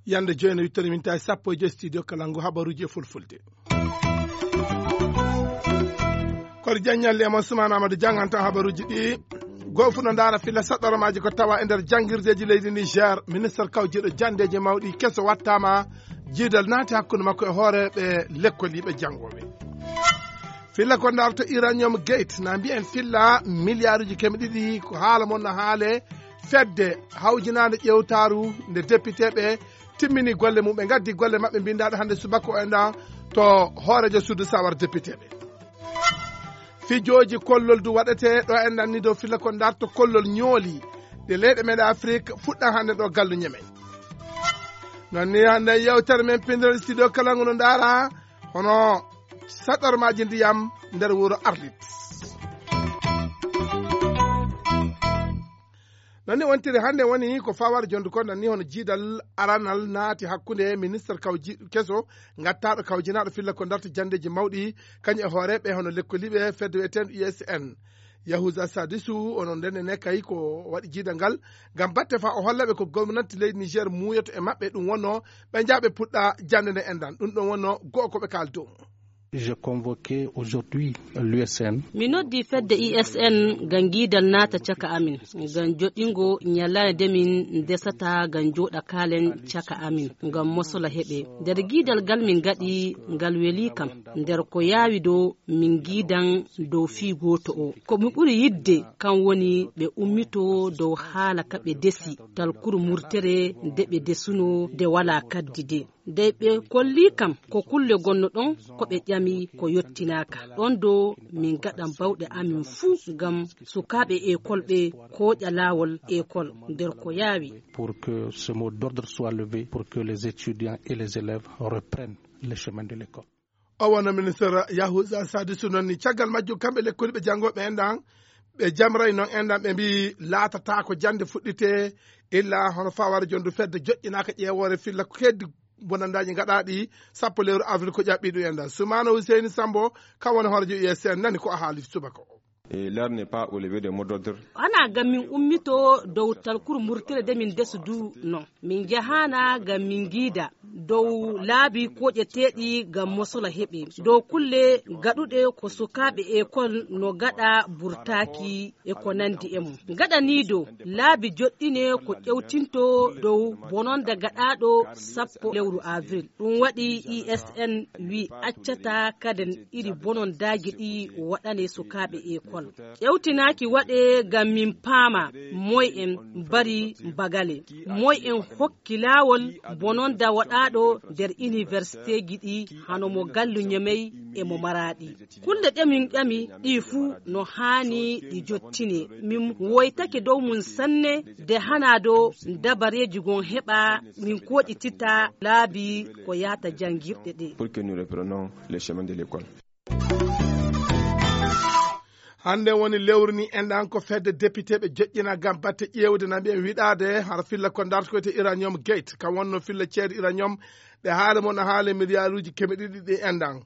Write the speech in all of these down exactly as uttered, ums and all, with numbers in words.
Yande joyno wittori min tawi sappo e joy studio kala ngu habaruji e fulfulde. Kono jaññalle e mon Suman Amadou janngantan habaruji ɗi. Goo fu no ndaara filla saɗɗoromaaji ko tawa e nder janngirdeeji leydi Niger. Ministre kawjiiɗo janndeeji mawɗi keso wattaama jiidal naati hakkunde makko e hooreeɓe lekkoliiɓe janngooɓe. Filla ko ndaarto uranium gate na mbiyen filla miliyaaruji keme ɗiɗi ko haala mon no haale fedde hawjinaande ƴeewtaaru nde depiteeɓe timmini golle mum ɓe ngaddi golle maɓɓe mbinndaaɗo hannde subaka o enɗan to hooreejo suudu sawar depiteeɓe. Fijooji kollol du waɗete ɗo en nanni dow filla ko ndarto kollol ñooli ɗe leyɗe meɗen afrik fuɗɗan hannde ɗo gallu ñemey. Non ni hannde yewtere men pindiral studio kala ngu no ndaara hono saɗormaaji ndiyam nder wuro arlit. Non ni wontiri hannde woni ko fawar jondu ko nanni hono jiidal aranal naati hakkunde ministre kawji keso ngattaaɗo kawjinaaɗo filla ko ndarta janndeeji mawɗi kañum e hooreeɓe hono lekkoliiɓe fedde wiyeteende U S N. Yahuza Sadisu onon ndenne ne kay ko waɗi jiidal ngal ngam batte fa o hollaɓe ko gomnanti leydi Niger muuyoto e maɓɓe ɗum wonno ɓe njaaɓe puɗɗa jannde nde enɗan ɗum ɗon wonno go'o ko ɓe kaali dow mum. J'ai convoqué aujourd'hui l'U S N. Mi noddi fedde U S N ngam ngiidal naata caka amin, ngam joɗɗingo ñalaande nde min ndesata ngam jooɗa kaalen caka amin, ngam mosola heɓe. Nder ngiidal ngal min ngaɗi ngal weli kam, nder ko yaawi dow min ngiidan dow fii gooto o. Ko mi ɓuri yiɗde kan woni ɓe ummito dow haala ka ɓe ndesi, talkuru murtere nde ɓe ndesuno nde walaa kaddi de. Dey ɓe kolli kam ko kulle gonno ɗon ko ɓe ƴami ko yottinaaka. Ɗon do min ngaɗan bawɗe amin fuu ngam sukaaɓe ekol ɓe kooƴa laawol ekol nder ko yaawi. Pour que ce mot d'ordre soit levé, pour que les étudiants et les élèves reprennent le chemin de l'école. O wonno ministre Yahuza Sadisu noon ni caggal majjum kamɓe lekkoliiɓe janngooɓe en ɗan ɓe jamray noon en ɗan ɓe mbii laatataako jannde fuɗɗitee illa hono faware jonndu fedde joƴƴinaaka ƴeewoore filla ko keddi bonandaaji ngaɗaaɗi sappo lewru avril ko ƴaɓɓi ɗum en ɗan Sumaana Huseyni Sambo kam woni hoorejo U S N nani ko a haali subaka o. Et l'heure n'est pas au lever des mots d'ordre. Ana ngam min ummito dow talkuru murtire de min ndesu du non. Min njahaana ngam min ngiida dow laabi koƴeteeɗi ngam mosola heɓe dow kulle gaɗuɗe ko sukaaɓe ekol no gaɗa burtaaki e ko nandi e mum. Gaɗaniido laabi joɗɗine ko ƴewtinto dow bononda gaɗaaɗo sappo lewru avril. Ɗum waɗi U S N wi accata kaden iri bonondaaji ɗi waɗane sukaaɓe ekol. Ƴewtinaaki waɗe ngam min paama moy en mbari bagale, moy en hokki laawol bononda waɗaaɗo nder iniwersiteeji ɗi hano mo Gallu Ñemey e mo Maraaɗi. Kulle ɗe min ƴami ɗi fuu no haani ɗi jottine. Min woytake dow mum sanne de hana do dabareeji gon heɓa min koɗitita laabi ko yahata janngirɗe ɗe. Pour que nous reprenons le chemin de l'école. Hannde woni lewru ni enɗan ko fedde depiteeɓe joƴƴina ngam batte ƴeewde na mbiyen wiɗaade hara filla ko ndartoyte uranium gate kam wonno filla ceede uranium ɗe haala mon a haala miliyaaruuji keme ɗiɗi ɗi enɗan.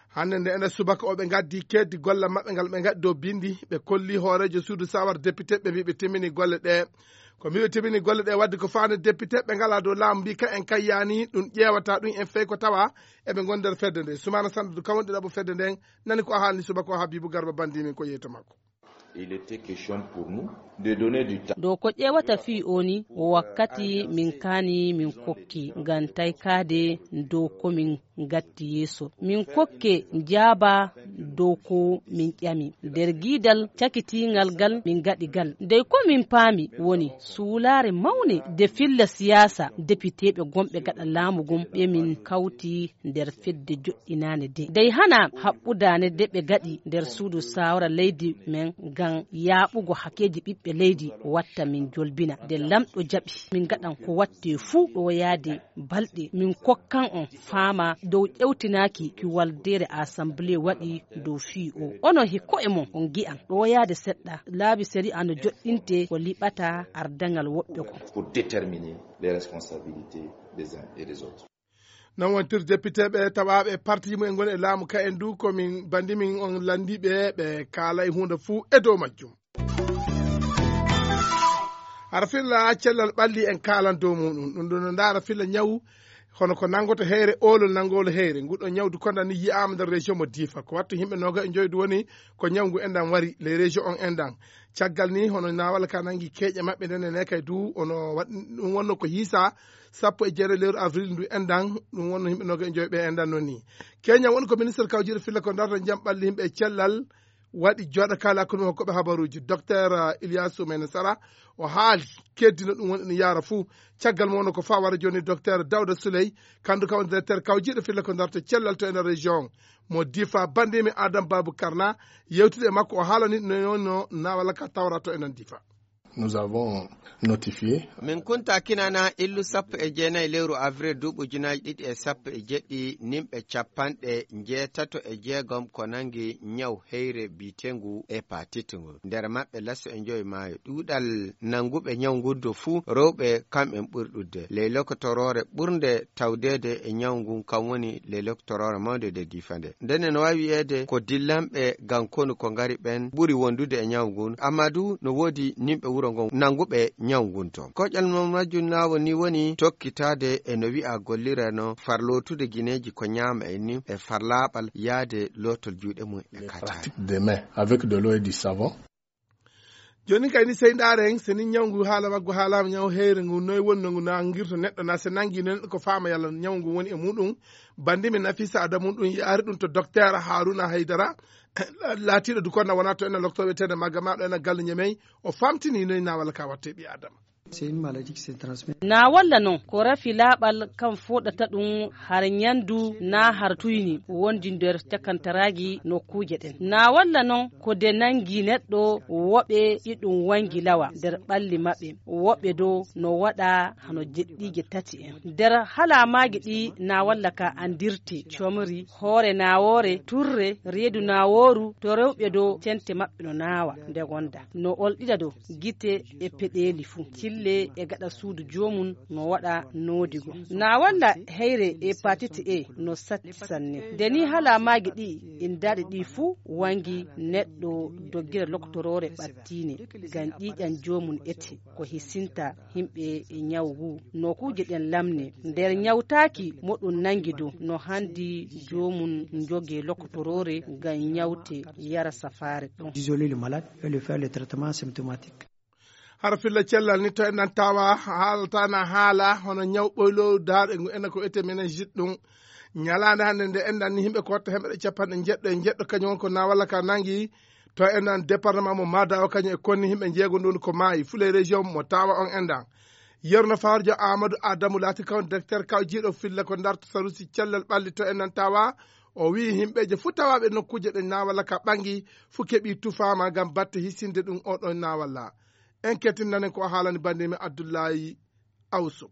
Hannde nde ene subaka o ɓe ngaddi keddi gollal maɓɓe ngal ɓe ngaɗi dow binndi ɓe kolli hooreejo suudu sawar depiteeɓe mbi ɓe timmini golle ɗe. Ko mbi ɓe timmini golle ɗe wadde ko faande depiteeɓe ngala dow laamu mbi ka en kay yaani ɗum ƴeewata ɗum en fey ko tawa eɓe ngon nder fedde nde sumaana sanndudu kam wonɗi ɗaɓo fedde nden. Nani ko a haalni subaka o Habibu Garba banndi min ko yeyta makko. Il était question pour nous de donner du temps. Dow ko ƴeewata fii o ni wakkati min kaani min kokki ngam taykaade dow ko min ngatti yeeso min kokke njaaba dow ko min ƴami nder giidal cakitiingal gal min ngaɗi gal dey ko min paami woni suulaare mawne de filla siyaasa depiteeɓe gonɓe gaɗa laamu ngun ɓe min kawti nder fedde joɗɗinaande de dey hana haɓɓudaane de ɓe gaɗi nder suudu saawara leydi men ngam yaaɓugo hakkeeji ɓiɓɓe leydi watta min jolbina de lamɗo jaɓi min ngaɗan ko watte fuu ɗo yaade balɗe min kokkan on faama dow ƴewtinaaki ki waldeere assemblée waɗi dow fii o onon he ko'e mon on ngi'an ɗo yaade seɗɗa laabi sari'a no joɗɗinte ko liɓata ardaŋal woɓɓe kon. Pour déterminer les responsabilités des uns et des autres. Non wontir depiteeɓe tawaaɓe e parti mum en ngoni e laamu ka en du ko min bandi min on landiiɓe ɓe kaalay huunde fuu e dow majjum. Hara filla cellal ɓalli en kaalan dow muɗum ɗum ɗum no ndaara filla ñawu hono ko nanngoto heyre oolol nanngolo heyre nguɗo ñawdu konda ni yiyaama nder région mo diifa ko wattu yimɓe nooga e njoydu woni ko ñawngu enɗan wari les région on enɗan. Caggal ni hono nawal ka nanngi keeƴe maɓɓe nden ene kay du ono waɗ- ɗum wonno ko hiisa sappo e jeere lewru avril ndu enɗan. Ɗum wonno yimɓe nooga e njoy ɓe enɗan noon ni. Keña woni ko ministre kawjiiɗo filla ko darta jam ɓalli yimɓe e cellal waɗi jooɗa kala hakkunde hokkooɓe habaruuji. Docteur Ilyasu Mene Sara o haali keddino ɗum woni ene yaara fuu. Caggal mo wonno ko fawara jooni docteur Dawda Souley, kandu ka woni directeur kawjiiɗo filla ko darta cellal to ene région mo difa bandimi Adam Babou Karna. Yewtude e makko o haalani no yonno nawala ka tawra to enen difa. Nous avons notifié. Min kunta kinana illu sappo e jeenayi lewru avril duuɓi ujunaaji ɗiɗi e sappo e jeɗɗi nimɓe capanɗe njeetato e jeegom ko nangi ñaw heyre biitengu hépatite ngu nder maɓɓe laso e njoyi maayo ɗuuɗal nanguɓe ñaw ngun do fuu rewɓe kamɓen ɓuri ɗuɗde ley lokotoroore ɓurnde tawdeede e ñaw ngun kam woni ley lokotoroore mawnde nde difa nde ndene no wawi wiyeede ko dillanɓe gam konu ko ngari ɓen ɓuri wondude e ñaw ngun amma du no woodi nimɓe wuro ngon nanguɓe ñaw ngun to koƴal mo majjum nawo ni woni tokkitaade e no wi'a gollirano farlotude gineeji ko ñaama e ni e farlaaɓal yaade lootol juuɗe mum e kataari. Des mains avec de l'eau et du savon. Jooni kay ni sey ndaaren so ni ñawngu haala maggu haalaama ñaw heyre ngu noy wonno ngu nangirta neɗɗo na so nangi no neɗɗo ko faama yalla ñawngu woni e muɗum. Bandimi Nafisa Adamu ɗum yaari ɗum to docteur Haruna Haydara. Laatiiɗo du konna wona to enen loktooɓe tene magga ma ɗo enen galle ñemey o famtini noy nawal ka watte ɓi Adama. Nawalla noon ko rafi laaɓal kam foɗata ɗum har ñanndu na har tuyni wondi nder cakantaraaji nokkuuje ɗen. Nawalla noon ko de nanngi neɗɗo woɓe iɗum wanngi lawa nder ɓalli maɓɓe, woɓe do no waɗa hano jeɗɗiije tati en. Nder halaamaaji ɗi nawalla ka anndirti comri, hoore nawoore, turre, reedu nawooru, to rewɓe do tente maɓɓe no naawa nde gonda, no olɗida do gite e peɗeeli fuu, cille e gaɗa suudu joomum no waɗa noodigo. Na walla heyre hepatite A no satti sanne. Nde ni halaamaaji ɗi inndaaɗi ɗi fuu wangi neɗɗo doggira lokotoroore ɓattiine ngam ƴiiƴan joomum ete ko hisinta yimɓe e ñaw ngu. Nokkuuje ɗen lamne nder ñawtaaki mo ɗum nanngi dow no hanndi joomum njogee lokotoroore ngam ñawte yara safaare ɗon. Isoler le malade et le faire le traitement symptomatique. Hara filla cellal ni to enɗan tawa haalata na haala hono ñaw ɓoylo daaɗe ngu enen ko ete meningite ɗum. Ñalaande hannde nde enɗan ni yimɓe ko watta hemɓe capanɗe jeɗɗo e jeɗɗo kañum won ko na walla ka nangi to enɗan département mo madawa kañum e konni yimɓe jeego ndun ko maayi fule région mo tawa on enɗan. Yerno farjo amadou adamu laati kawon directeur kaw jiiɗo filla ko darto sarusi cellal ɓalli to enɗan tawa. O wiyi yimɓeje fuu tawaɓe nokkuuje ɗe nawalla ka ɓangi fuu keɓi tufama ngam batte hisinde ɗum oɗo nawalla. En kettindanen ko o haalani bandimi abdoullahi awsuk.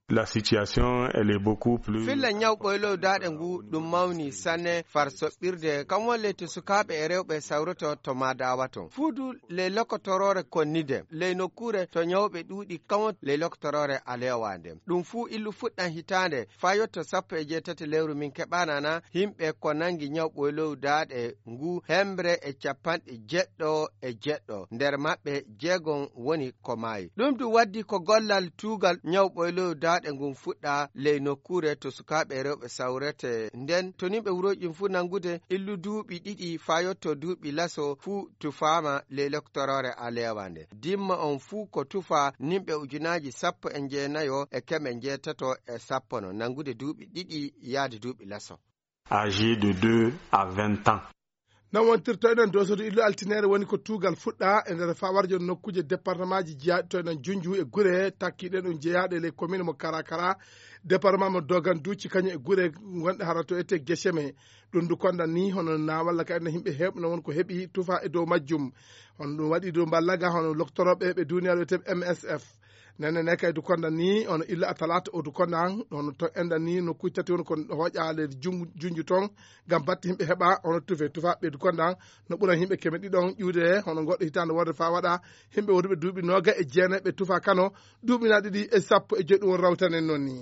La situation elle est beaucoup plus. Filla ñaw ɓoylow daaɗe ngu ɗum mawni sanne far soɓɓirde kam won ley to sukaaɓe e rewɓe sawroto to madawa ton fuudu ley lokotoroore konnide ley nokkuure to ñawɓe ɗuuɗi kam won ley lokotoroore aleewa nde. Ɗum fuu illu fuɗɗan hitaande faa yotto sappo e jeetati lewru min keɓaanana yimɓe ko nanngi ñaw ɓoylow daaɗe ngu hemre e capanɗe jeɗɗo e jeɗɗo nder maɓɓe jeegom woni ko maayi. Ɗum du waddi ko gollal tuugal ñaw ɓoylow daaɗe ngun fuɗɗa ley nokkuure to sukaaɓe rewɓe sawrete nden to nimɓe wurooji ɗin fuu nanngude illu duuɓi ɗiɗi faa yotto duuɓi laso fuu tufaama ley lokotoroore aleewa nde. Dimma on fuu ko tufa nimɓe ujunaaji sappo e jeenayo e keme jeetato e sappo no nanngude duuɓi ɗiɗi yaade duuɓi laso. Âgé de deux à vingt ans. Non wontirto enen dosoto illu altineere woni ko tuugal fuɗɗa e nder fawarjo nokkuuje département ji jeyaaɗi to enen junju e gure takkiɗen ɗum jeyaaɗe ley commune mo karakara département mo dogan duuci kañum e gure gonɗe hara to ete geseme. Ɗum du kondan ni hono na walla ka enen yimɓe heewɓe no won ko heɓi tufa e dow majjum. Hono ɗum waɗi dow mballaga hono loktoroɓe ɓe duniyaaru wiyete M S F. Nene ne kay du kondan ni hono illa a talata o du kondan hono to endan ni no kuy tati won ko hoƴa leydi junju ton ngam batte yimɓe heɓa hono tufe tufa ɓe du kondan no ɓuran yimɓe keme ɗiɗon ƴuude hono goɗɗo hitande wonde fa waɗa yimɓe woduɓe duuɓi noga e jeenayi ɓe tufa kano duuɓi na ɗiɗi e sappo e joyi ɗum won rawtanen noon ni.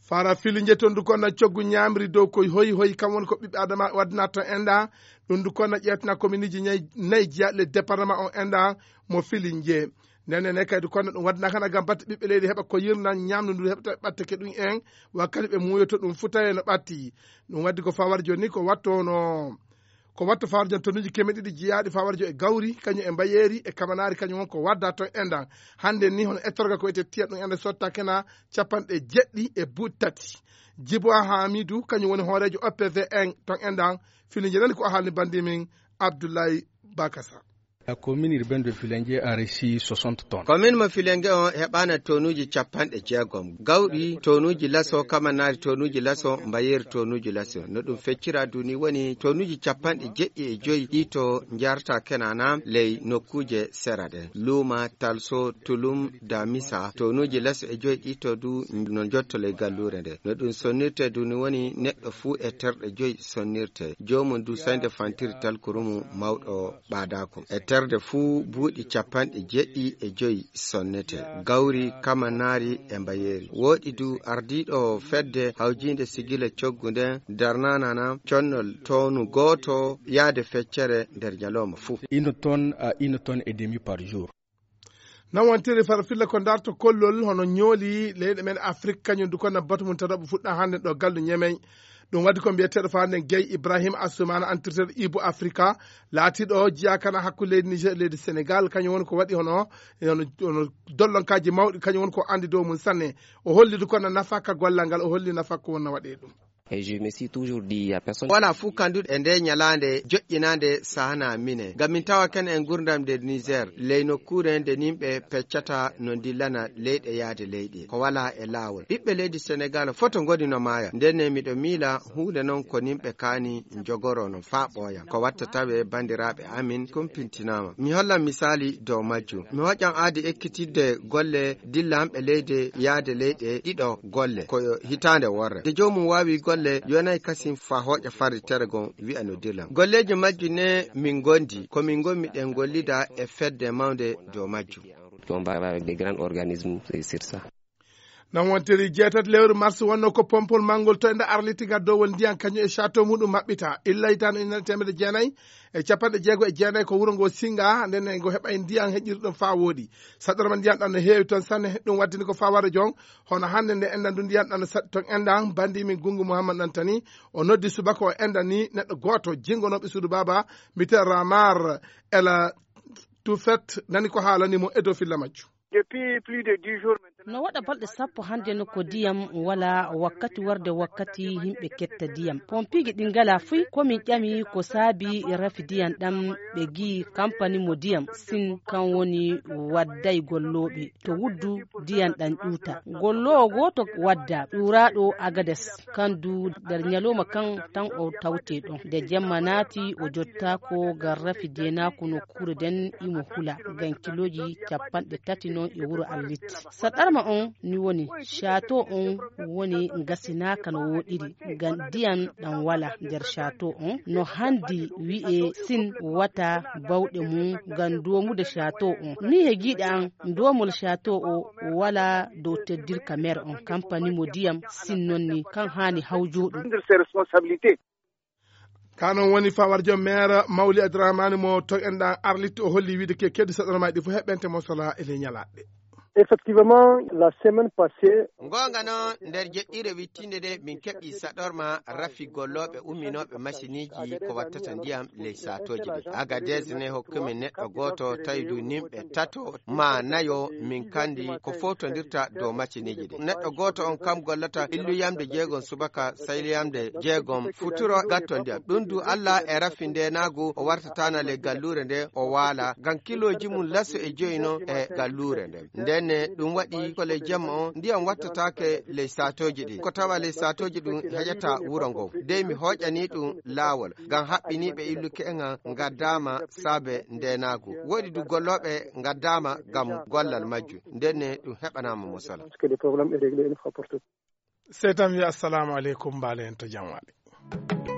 Fara filinje ton du konna coggu ñamri dow koy hoy hoy kam won ko ɓiɓɓe adama waddinata ton enda. Ɗum du konna ƴeetana kominiiji ñay- nayi jiyaaɗi le département on enda mo filinje. Nene ne kay du konna ɗum waddina kana gam batte ɓiɓɓe leydi heɓa ko yirnan ñamdu ndu heɓta ɓatte ke ɗum en. Wakkati ɓe muuyoto ɗum fu tawe no ɓatti. Ɗum waddi ko fawar joni ko wattono ko watta fawarjo tonuji keme ɗiɗi jiyaaɗi fawarjo e gawri kañum e mbayeeri e kamanaari kañum won ko wadda ton endan. Hannde ni hono ettorga ko wiyete tiya ɗum ende sotta kena capanɗe jeɗɗi e buuɗi tati. Jibo Hamidu kañum woni hooreejo O P V en ton endan. Filiji nani ko haalni bandi min Abdoulaye Bakasa. La commune urbaine de Filengue a reçu soixante tonnes. Komin mo Filengue on heɓaana tonuuji capanɗe jeegom gawri, tonuuji laso kamanaari, tonuuji laso mbayeeri, tonuuji laso. No ɗum feccira duni woni tonuuji capanɗe jeɗɗi e joyi ɗi to njarta kenana ley nokkuuje sera ɗen. Luuma, Talso, Tulum, Damisa, tonuuji laso e joyi ɗi to du no jotto ley galluure nde. No ɗum sonnirte duni woni neɗɗo fuu e terɗe joyi sonnirte. Joomum du sañde fantiri talkurumu mawɗo ɓaadaako. E terde fuu buuɗi capanɗe jeɗɗi e joyi sonnete. Gawri, kamanaari e mbayeeri. Wooɗi du ardiiɗo fedde hawjiinde sigila coggu nden darnanana connol tonu gooto yaade feccere nder ñalawma fuu. Une tonne à une tonne et demi par jour. Nan wontiri fara filla ko darto kollol hono ñooli leyɗe men Afrik kañum du konna batu mum tataɓo fuɗɗa hannde ɗo gallu ñemey. Ɗum waɗi ko mbiyeteeɗo faande Guèye Ibrahima Assoumana, entraîneur Ibu Afrika, laatiiɗo jiyakana hakkunde leydi Niger e leydi Sénégal. Kañum woni ko waɗi hono hono hono dollonkaaji mawɗi kañum woni ko anndi dow mum sanne. O holli du kono nafa ka gollal ngal, o holli nafa ko wonno waɗee ɗum. Et je me suis toujours dit, il y a personne. Wala fuu kanduɗo e nde ñalaande joƴƴinaande sahana mine ngam min tawa ken en gurdam nder Niger ley nokkuure nde nimɓe peccata no ndillana leyɗe yaade leyɗe ko wala e laawol. Ɓiɓɓe leydi Senegal foto ngoni no maaya. Ndenne miɗo miila huunde non ko nimɓe kaani njogoro no faa ɓooya. Ko watta tawe banndiraaɓe amin kumpintinaama. Mi hollan misaali dow majjum. Mi hoƴan aadi ekkitidde golle dillanɓe leyde yaade leyɗe ɗiɗo golle. Ko hitaande worre. Nde joomum waawi golle, yonay kasin faa hooƴa farritere gon wi'a no dillan. Golleeji majjum ne min ngondi. Ko min ngonmi ɗen gollida e fedde mawnde dow majjum. On va avec des grands organismes, c'est sur ça. Nan wontiri jeetati lewru mars wonno ko pompol manngol to enda arliti gaddowol ndiyan kañum e château muɗum maɓɓita. Illa hitande ujunere teemedde jeenayi e capanɗe jeego e jeenayi ko wuro ngo Singa, nden ne ngo heɓay ndiyan heƴirɗo faa wooɗi. Saɗɗorma ndiyan ɗan no heewi ton sanne, ɗum waddini ko faa wara jon. Hono hannde nde endan du ndiyan ɗan no saɗɗi ton endan, bandi min Gungu Muhammad Nantani, o noddi subaka o endan ni neɗɗo gooto jingonooɓe suudu baaba, mbiyetee Ramar Ela Tufet, nani ko haalani mo e dow filla majjum. Depuis plus de dix jours maintenant. No waɗa balɗe sappo hannde no ko ndiyam wala wakkati warde wakkati yimɓe ketta ndiyam. Pompiiji ɗi ngala fuy ko min ƴami ko saabi rafi ndiyam ɗam ɓe ngi kampani mo ndiyam sin kan woni wadday gollooɓe to wuddu ndiyam ɗam ƴuuta. Golloowo gooto wadda ƴuuraaɗo Agades kan du nder ñalawma kan tan o tawte ɗon. Nde jemma naati o jottaako ngam rafi deenaako no kure den imo hula ngam kilooji capanɗe tati non e wuro Arlit. Saɗarma on ni woni château on woni ngasinaaka no wooɗiri ngam ndiyam ɗam wala nder château on no handi wi'e sin wata bawɗe mum ngam doomude château on. Ni he giiɗe an doomol château o wala dow teddirka maire on kampani mo ndiyam sin non ni kan haani hawjooɗum. Prendre ses responsabilités. Ka non woni fawarjo maire Mawli Abdourahmane mo to enɗan Arlit o holli wiide ke keddi saɗɗormaaji ɗi fof heɓɓente mo sola e ley ñalaaɗe. Effectivement, la semaine passée. Ngoonga noon, nder jeɗɗire wittiinde nde, min keɓi saɗorma rafi gollooɓe umminooɓe masiniiji ko wattata ndiyam ley saatooji ɗi. Agadez ne hokki min neɗɗo gooto, tawi du nimɓe tato maa nayo min kandi ko fowtondirta dow masiniiji ɗi. Neɗɗo gooto on kam gollata illuyamde jeegom subaka, sayliyamde jeegom futuro gatto ndiyam. Ɗum du Allah e rafi ndeenaagu o wartataana ley galluure nde o waala, ngam kilooji mum laso e joyi noon e galluure nde. Ndenne ɗum waɗi ko ley jemma on ndiyam wattataake ley saatooji ɗi. Ko tawa ley saatooji ɗum heƴata wuro ngo. Dey mi hooƴanii ɗum laawol, ngam haɓɓiniiɓe illuki en an ngaddaama saabe ndeenaagu. Woodi du gollooɓe ngaddaama ngam gollal majjum. Ndenne ɗum heɓanaama mo sala. Parce que le problème est réglé une fois pour toutes. Sey tan wiya assalamu aleykum, mbaale en to jam waali.